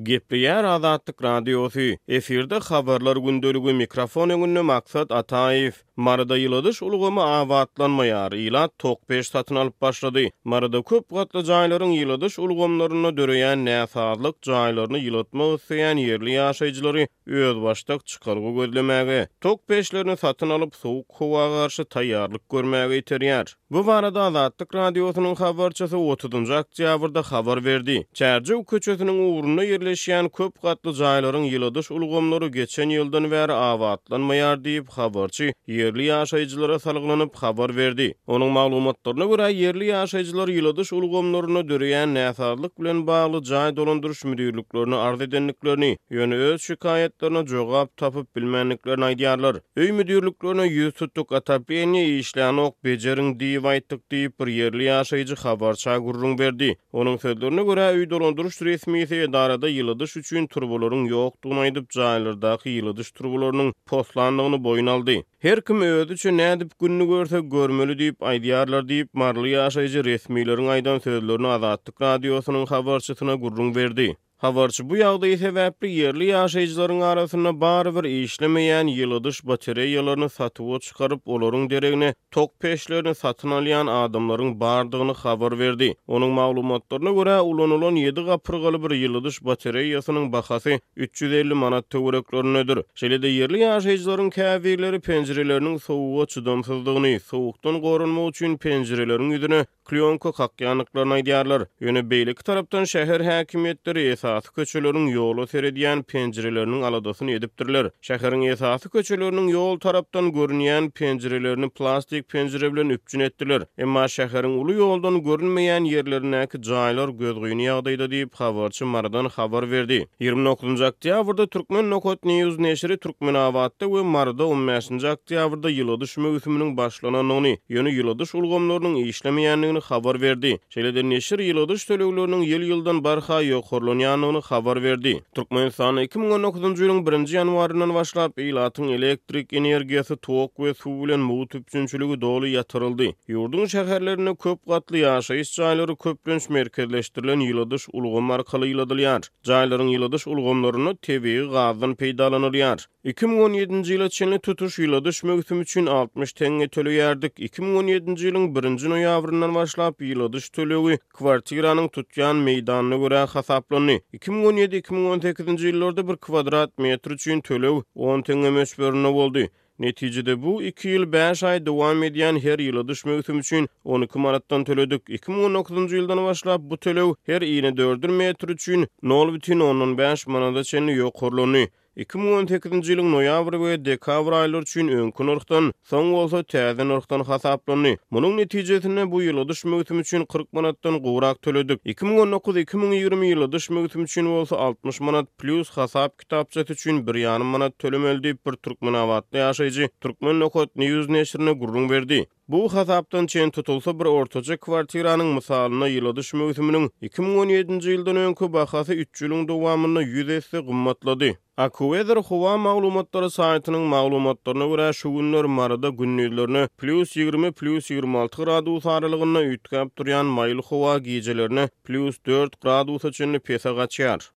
Gepleýär Azatlyk Radiosy, efirde Habarlar gündeligi, mikrofon öňünde Maksat Ataýew. Maryda ýyladyş ulgamy abatlanmaýar, ilat tok peç satyn alyp başlady. Maryda köp gatly jaýlaryň ýyladyş ulgamlarynda döreýän näsazlyk jaýlaryny ýylatmak isleýän ýerli ýaşaýjylary özbaşdak çykalga gözlemäge, tok peçlerini satyn alyp, sowuk howa garşy taýýarlyk görmäge iterýär. Bu barada Azatlyk Radiosynyň habarçysy otuzynjy oktýabrda habar berdi. Çärjew köçesiniň ugrunda ýerleşýän köp gatly jaýlaryň ýyladyş ulgamlary geçen ýyldan bäri abatlanmaýar diýip, habarçy ýerli ýaşaýjylara salgylanyp habar berdi. Onuň maglumatlaryna görä, ýerli ýaşaýjylar ýyladyş ulgamlarynda döreýän näsazlyk bilen bagly jaý dolandyryş müdirliklerine arz edendiklerini, ýöne öz şikaýatlaryna jogap tapyp bilmändiklerini aýdýarlar. Öý müdirliklerine ýüz tutduk, otopleniýe işlänok, bejeriň diýip aýtdyk diýip, bir ýerli ýaşaýjy habarça gürrüň berdi. Onuň sözlerine görä, öý dolandyryş resmisi edarada ýyladyş üçin turbalaryň ýokdugyny aýdyp, jaýlardaky ýyladyş turbalarynyň poslandygyny boýun aldy. Her kim özüçe nädip gününi görse görmeli diýip aýdýarlar diýip, maryly ýaşaýjy resmileriň aýdan sözlerini Azatlyk Radiosynyň habarçysyna gürrüň berdi. Habarçy bu ýagdaý sebäpli ýerli ýaşaýjylaryň arasynda barybir işlemeýän ýyladyş batareýalaryny satuwa çykaryp, olaryň deregine tok peçlerini satyn alýan adamlaryň bardygyny habar berdi. Onuň maglumatlaryna görä, ulanylan ýedi gapyrgaly bir ýyladyş batareýasynyň bahasy 350 manat töwereklerindedir. Şeýle-de ýerli ýaşaýjylaryň käbirleri penjireleriniň sowuga çydamsyzdygyny, sowukdan goranmak üçin penjireleriň ýüzüne klýonka kakýandyklaryny aýdýarlar. Ýöne beýleki tarapdan şäher häkimiýetleri esasy köçeleriň ýola seredýän penjireleriniň aladasyny edipdirler. Şäheriň esasy köçeleriniň ýol tarapdan görünýän penjirelerini plastik penjire bilen üpjün etdiler. Emma şäheriň uly ýoldan görünmeýän ýerlerindäki jaýlar gözgyny ýagdaýda diýip, habarçy Marydan habar berdi. 29-njy oktýabrda Turkmen Nokat News neşiri Türkmenabatda we Maryda on bäşinji oktýabrda ýyladyş möwsüminiň başlanandygyny, ýöne ýyladyş ulgamlarynyň işlemeýändigini habar berdi. Şeýle-de neşir ýyladyş tölegleriniň ýyl-ýyldan barha ýokarlanýandygyny habar berdi. Türkmenistanda 2019-njy ýylyň birinji ýanwaryndan başlap ilatyň elektrik energiýasy, tok we suw bilen mugt üpjünçiligi doly ýatyryldy. Ýurduň şäherlerinde köp gatly ýaşaýyş jaýlary köplenç merkezleşdirilen ýyladyş ulgamy arkaly ýyladylýar. Jaýlaryň ýyladyş ulgamlarynda tebigy gazdan peýdalanylýar. 2017-nji ýyla çenli tutuş ýyladyş möwsümi üçin 60 teňňe töleýärdik. 2017-nji ýylyň birinji noýabryndan başlap ýyladyş tölegi kwartiranyň tutýan meýdanyna görä hasaplandy. 2017, 2018-nji ýyllarda bir kwadrat metr üçin töleg on teňňe möçberinde boldy. Netijede bu iki ýyl bäş aý dowam edýän her ýyladyş möwsümi üçin 12 manatdan töledik. 2019-njy ýyldan başlap bu töleg her inedördül metr üçin nol bütin ondan bäş manada çenli ýokarlandy. 2018-nji ýylyň noýabr we dekabr aýlary üçin öňki nyrhdan, soň bolsa täze nyrhdan hasaplandy. Munuň netijesinde bu ýyladyş möwsümi üçin 40 manatdan gowrak töledik. 2019, 2020 ýyladyş möwsümi üçin bolsa 60 manat plýus hasap kitapçasy üçin bir ýarym manat tölemeli diýip, bir türkmenabatly ýaşaýjy Turkmen Nokat News neşirine gürrüň berdi. Bu hasapdan çen tutulsa, bir ortaça kwartiranyň mysalynda ýyladyş möwsüminiň 2017-nji ýyldan öňki bahasy üç ýylyň dowamynda ýüz esse gymmatlady. AccuWeather howa maglumatlary saýtynyň maglumatlaryna görä, şu günler Maryda gündizlerine plýus 20, plýus 26 gradus aralygynda üýtgäp durýan maýyl howa gijelerine plýus dört gradusa çenli pese gaçýar.